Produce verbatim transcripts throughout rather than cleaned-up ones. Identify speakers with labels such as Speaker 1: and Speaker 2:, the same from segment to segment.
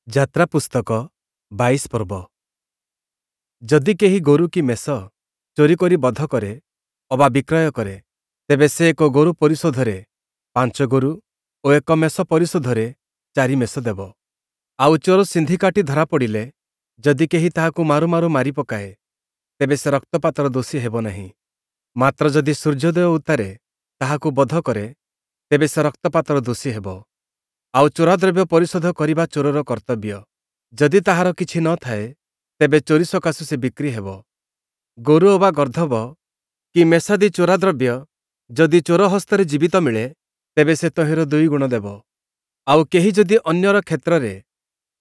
Speaker 1: ଯାତ୍ରା ପୁସ୍ତକ ବାଇଶ ପର୍ବ ଯଦି କେହି ଗୋରୁ କି ମେଷ ଚୋରି କରି ବଧ କରେ ଅବା ବିକ୍ରୟ କରେ, ତେବେ ସେ ଏକ ଗୋରୁ ପରିଶୋଧରେ ପାଞ୍ଚ ଗୋରୁ ଓ ଏକ ମେଷ ପରିଶୋଧରେ ଚାରି ମେଷ ଦେବ। ଆଉ ଚୋର ସିନ୍ଧି କାଟି ଧରାପଡ଼ିଲେ, ଯଦି କେହି ତାହାକୁ ମାରୁ ମାରୁ ମାରି ପକାଏ, ତେବେ ସେ ରକ୍ତପାତର ଦୋଷୀ ହେବ ନାହିଁ। ମାତ୍ର ଯଦି ସୂର୍ଯ୍ୟୋଦୟ ଉତ୍ତାରେ ତାହାକୁ ବଧ କରେ, ତେବେ ସେ ରକ୍ତପାତର ଦୋଷୀ ହେବ। ଆଉ ଚୋରାଦ୍ରବ୍ୟ ପରିଶୋଧ କରିବା ଚୋରର କର୍ତ୍ତବ୍ୟ। ଯଦି ତାହାର କିଛି ନ ଥାଏ, ତେବେ ଚୋରି ସକାଶୁ ସେ ବିକ୍ରି ହେବ। ଗୋରୁ ଅବା ଗର୍ଦ୍ଦଭ କି ମେଷାଦି ଚୋରାଦ୍ରବ୍ୟ ଯଦି ଚୋର ହସ୍ତରେ ଜୀବିତ ମିଳେ, ତେବେ ସେ ତହିଁର ଦୁଇଗୁଣ ଦେବ। ଆଉ କେହି ଯଦି ଅନ୍ୟର କ୍ଷେତ୍ରରେ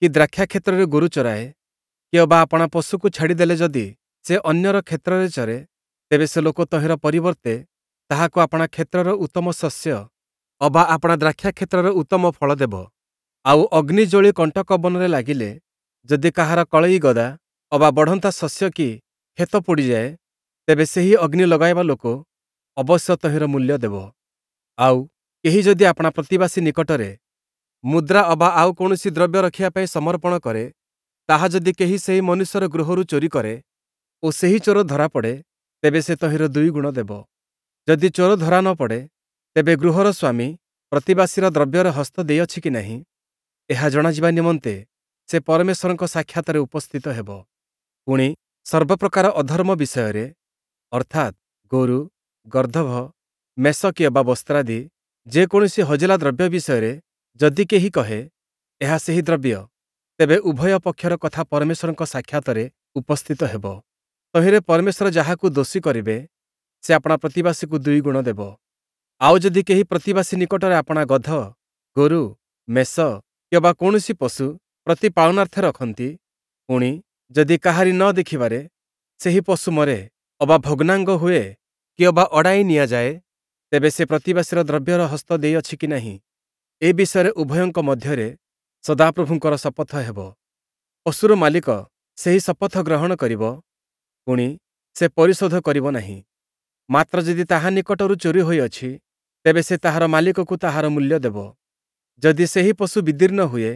Speaker 1: କି ଦ୍ରାକ୍ଷାକ୍ଷେତ୍ରରେ ଗୋରୁ ଚରାଏ, କି ଅବା ଆପଣା ପଶୁକୁ ଛାଡ଼ିଦେଲେ ଯଦି ସେ ଅନ୍ୟର କ୍ଷେତ୍ରରେ ଚରେ, ତେବେ ସେ ଲୋକ ତହିଁର ପରିବର୍ତ୍ତେ ତାହାକୁ ଆପଣା କ୍ଷେତ୍ରର ଉତ୍ତମ ଶସ୍ୟ ଅବା ଆପଣା ଦ୍ରାକ୍ଷାକ୍ଷେତ୍ରର ଉତ୍ତମ ଫଳ ଦେବ। ଆଉ ଅଗ୍ନି ଜଳି କଣ୍ଟକ ବନରେ ଲାଗିଲେ, ଯଦି କାହାର କଳେଇ ଗଦା ଅବା ବଢ଼ନ୍ତା ଶସ୍ୟ କି କ୍ଷେତ ପୋଡ଼ିଯାଏ, ତେବେ ସେହି ଅଗ୍ନି ଲଗାଇବା ଲୋକ ଅବଶ୍ୟ ତହିଁର ମୂଲ୍ୟ ଦେବ। ଆଉ କେହି ଯଦି ଆପଣା ପ୍ରତିବାସୀ ନିକଟରେ ମୁଦ୍ରା ଅବା ଆଉ କୌଣସି ଦ୍ରବ୍ୟ ରଖିବା ପାଇଁ ସମର୍ପଣ କରେ, ତାହା ଯଦି କେହି ସେହି ମନୁଷ୍ୟର ଗୃହରୁ ଚୋରି କରେ ଓ ସେହି ଚୋର ଧରାପଡ଼େ, ତେବେ ସେ ତହିଁର ଦୁଇଗୁଣ ଦେବ। ଯଦି ଚୋର ଧରା ନ ପଡ଼େ, ତେବେ ଗୃହର ସ୍ୱାମୀ ପ୍ରତିବାସୀର ଦ୍ରବ୍ୟରେ ହସ୍ତ ଦେଇଅଛି କି ନାହିଁ, ଏହା ଜଣାଯିବା ନିମନ୍ତେ ସେ ପରମେଶ୍ୱରଙ୍କ ସାକ୍ଷାତରେ ଉପସ୍ଥିତ ହେବ। ପୁଣି ସର୍ବପ୍ରକାର ଅଧର୍ମ ବିଷୟରେ, ଅର୍ଥାତ୍ ଗୋରୁ, ଗର୍ଦ୍ଦଭ, ମେଷ କି ଅବା ବସ୍ତ୍ରାଦି ଯେକୌଣସି ହଜିଲା ଦ୍ରବ୍ୟ ବିଷୟରେ ଯଦି କେହି କହେ, ଏହା ସେହି ଦ୍ରବ୍ୟ, ତେବେ ଉଭୟ ପକ୍ଷର କଥା ପରମେଶ୍ୱରଙ୍କ ସାକ୍ଷାତରେ ଉପସ୍ଥିତ ହେବ। ତହିଁରେ ପରମେଶ୍ୱର ଯାହାକୁ ଦୋଷୀ କରିବେ, ସେ ଆପଣା ପ୍ରତିବାସୀକୁ ଦୁଇଗୁଣ ଦେବ। ଆଉ ଯଦି କେହି ପ୍ରତିବାସୀ ନିକଟରେ ଆପଣା ଗଧ, ଗୋରୁ, ମେଷ କିମ୍ବା କୌଣସି ପଶୁ ପ୍ରତି ପାଳନାର୍ଥେ ରଖନ୍ତି, ପୁଣି ଯଦି କାହାରି ନ ଦେଖିବାରେ ସେହି ପଶୁ ମରେ ଅବା ଭଗ୍ନାଙ୍ଗ ହୁଏ କି ଅବା ଅଡ଼ାଇ ନିଆଯାଏ, ତେବେ ସେ ପ୍ରତିବାସୀର ଦ୍ରବ୍ୟର ହସ୍ତ ଦେଇଅଛି କି ନାହିଁ, ଏ ବିଷୟରେ ଉଭୟଙ୍କ ମଧ୍ୟରେ ସଦାପ୍ରଭୁଙ୍କର ଶପଥ ହେବ। ପଶୁର ମାଲିକ ସେହି ଶପଥ ଗ୍ରହଣ କରିବ, ପୁଣି ସେ ପରିଶୋଧ କରିବ ନାହିଁ। ମାତ୍ର ଯଦି ତାହା ନିକଟରୁ ଚୋରି ହୋଇଅଛି, ତେବେ ସେ ତାହାର ମାଲିକକୁ ତାହାର ମୂଲ୍ୟ ଦେବ। ଯଦି ସେହି ପଶୁ ବିଦୀର୍ଣ୍ଣ ହୁଏ,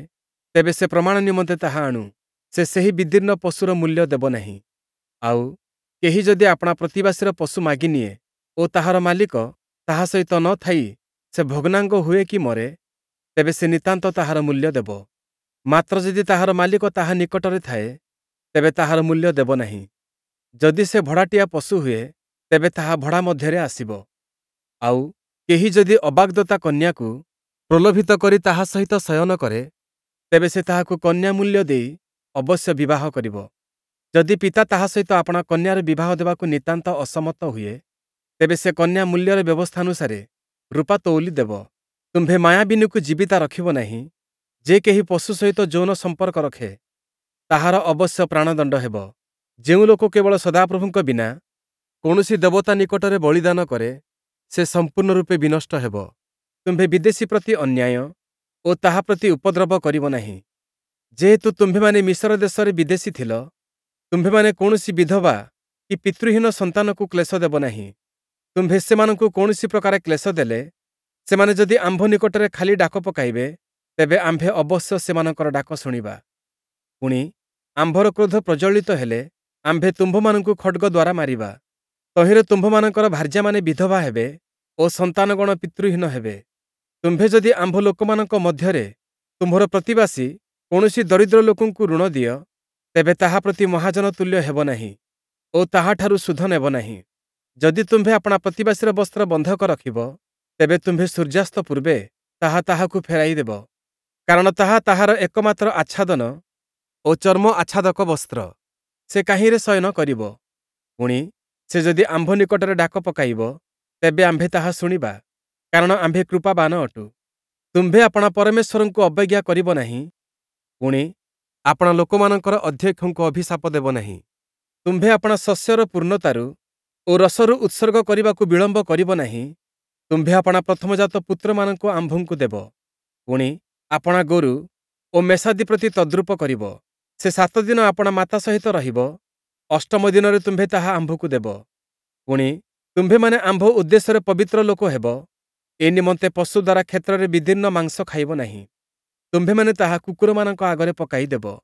Speaker 1: ତେବେ ସେ ପ୍ରମାଣ ନିମନ୍ତେ ତାହା ଆଣୁ, ସେ ସେହି ବିଦୀର୍ଣ୍ଣ ପଶୁର ମୂଲ୍ୟ ଦେବ ନାହିଁ। ଆଉ କେହି ଯଦି ଆପଣା ପ୍ରତିବାସୀର ପଶୁ ମାଗିନିଏ ଓ ତାହାର ମାଲିକ ତାହା ସହିତ ନ ଥାଇ ସେ ଭଗ୍ନାଙ୍ଗ ହୁଏ କି ମରେ, ତେବେ ସେ ନିତାନ୍ତ ତାହାର ମୂଲ୍ୟ ଦେବ। ମାତ୍ର ଯଦି ତାହାର ମାଲିକ ତାହା ନିକଟରେ ଥାଏ, ତେବେ ତାହାର ମୂଲ୍ୟ ଦେବ ନାହିଁ। ଯଦି ସେ ଭଡ଼ାଟିଆ ପଶୁ ହୁଏ, ତେବେ ତାହା ଭଡ଼ା ମଧ୍ୟରେ ଆସିବ। ଆଉ କେହି ଯଦି ଅବାଗ୍ଦତ୍ତା କନ୍ୟାକୁ ପ୍ରଲୋଭିତ କରି ତାହା ସହିତ ଶୟନ କରେ, ତେବେ ସେ ତାହାକୁ କନ୍ୟା ମୂଲ୍ୟ ଦେଇ ଅବଶ୍ୟ ବିବାହ କରିବ। ଯଦି ପିତା ତାହା ସହିତ ଆପଣା କନ୍ୟାର ବିବାହ ଦେବାକୁ ନିତାନ୍ତ ଅସମ୍ମତ ହୁଏ, ତେବେ ସେ କନ୍ୟା ମୂଲ୍ୟର ବ୍ୟବସ୍ଥାନୁସାରେ ରୂପା ତଉଲି ଦେବ। ତୁମ୍ଭେ ମାୟାବିନୀକୁ ଜୀବିତା ରଖିବ ନାହିଁ। ଯେ କେହି ପଶୁ ସହିତ ଯୌନ ସମ୍ପର୍କ ରଖେ, ତାହାର ଅବଶ୍ୟ ପ୍ରାଣଦଣ୍ଡ ହେବ। ଯେଉଁ ଲୋକ କେବଳ ସଦାପ୍ରଭୁଙ୍କ ବିନା କୌଣସି ଦେବତା ନିକଟରେ ବଳିଦାନ କରେ, ସେ ସମ୍ପୂର୍ଣ୍ଣ ରୂପେ ବିନଷ୍ଟ ହେବ। ତୁମ୍ଭେ ବିଦେଶୀ ପ୍ରତି ଅନ୍ୟାୟ ଓ ତାହା ପ୍ରତି ଉପଦ୍ରବ କରିବ ନାହିଁ। ଯେହେତୁ ତୁମ୍ଭେମାନେ ମିଶର ଦେଶରେ ବିଦେଶୀ ଥିଲ, ତୁମ୍ଭେମାନେ କୌଣସି ବିଧବା କି ପିତୃହୀନ ସନ୍ତାନକୁ କ୍ଲେଶ ଦେବ ନାହିଁ। ତୁମ୍ଭେ ସେମାନଙ୍କୁ କୌଣସି ପ୍ରକାର କ୍ଲେଶ ଦେଲେ, ସେମାନେ ଯଦି ଆମ୍ଭ ନିକଟରେ ଖାଲି ଡାକ ପକାଇବେ, ତେବେ ଆମ୍ଭେ ଅବଶ୍ୟ ସେମାନଙ୍କର ଡାକ ଶୁଣିବା। ପୁଣି ଆମ୍ଭର କ୍ରୋଧ ପ୍ରଜ୍ୱଳିତ ହେଲେ ଆମ୍ଭେ ତୁମ୍ଭମାନଙ୍କୁ ଖଡ଼୍ଗ ଦ୍ୱାରା ମାରିବା। ତହିଁରେ ତୁମ୍ଭମାନଙ୍କର ଭାର୍ଯ୍ୟାମାନେ ବିଧବା ହେବେ ଓ ସନ୍ତାନଗଣ ପିତୃହୀନ ହେବେ। ତୁମ୍ଭେ ଯଦି ଆମ୍ଭ ଲୋକମାନଙ୍କ ମଧ୍ୟରେ ତୁମ୍ଭର ପ୍ରତିବାସୀ କୌଣସି ଦରିଦ୍ର ଲୋକଙ୍କୁ ଋଣ ଦିଅ, ତେବେ ତାହା ପ୍ରତି ମହାଜନ ତୁଲ୍ୟ ହେବ ନାହିଁ ଓ ତାହାଠାରୁ ସୁଧ ନେବ ନାହିଁ। ଯଦି ତୁମ୍ଭେ ଆପଣା ପ୍ରତିବାସୀର ବସ୍ତ୍ର ବନ୍ଧକ ରଖିବ, ତେବେ ତୁମ୍ଭେ ସୂର୍ଯ୍ୟାସ୍ତ ପୂର୍ବେ ତାହା ତାହାକୁ ଫେରାଇ ଦେବ, କାରଣ ତାହା ତାହାର ଏକମାତ୍ର ଆଚ୍ଛାଦନ ଓ ଚର୍ମ ଆଚ୍ଛାଦକ ବସ୍ତ୍ର। ସେ କାହିଁରେ ଶୟନ କରିବ? ପୁଣି ସେ ଯଦି ଆମ୍ଭ ନିକଟରେ ଡାକ ପକାଇବ, ତେବେ ଆମ୍ଭେ ତାହା ଶୁଣିବା, କାରଣ ଆମ୍ଭେ କୃପାବାନ ଅଟୁ। ତୁମ୍ଭେ ଆପଣା ପରମେଶ୍ୱରଙ୍କୁ ଅବଜ୍ଞା କରିବ ନାହିଁ, ପୁଣି ଆପଣା ଲୋକମାନଙ୍କର ଅଧ୍ୟକ୍ଷଙ୍କୁ ଅଭିଶାପ ଦେବ ନାହିଁ। ତୁମ୍ଭେ ଆପଣା ଶସ୍ୟର ପୂର୍ଣ୍ଣତାରୁ ଓ ରସରୁ ଉତ୍ସର୍ଗ କରିବାକୁ ବିଳମ୍ବ କରିବ ନାହିଁ। ତୁମ୍ଭେ ଆପଣା ପ୍ରଥମଜାତ ପୁତ୍ରମାନଙ୍କୁ ଆମ୍ଭଙ୍କୁ ଦେବ। ପୁଣି ଆପଣା ଗୋରୁ ଓ ମେଷାଦି ପ୍ରତି ତଦ୍ରୂପ କରିବ। ସେ ସାତ ଦିନ ଆପଣା ମାତା ସହିତ ରହିବ, ଅଷ୍ଟମ ଦିନରେ ତୁମ୍ଭେ ତାହା ଆମ୍ଭକୁ ଦେବ। ପୁଣି ତୁମ୍ଭେମାନେ ଆମ୍ଭ ଉଦ୍ଦେଶ୍ୟରେ ପବିତ୍ର ଲୋକ ହେବ, ଏ ନିମନ୍ତେ ପଶୁ ଦ୍ୱାରା କ୍ଷେତ୍ରରେ ବିଦୀର୍ଣ୍ଣ ମାଂସ ଖାଇବ ନାହିଁ। ତୁମ୍ଭେମାନେ ତାହା କୁକୁରମାନଙ୍କ ଆଗରେ ପକାଇ ଦେବ।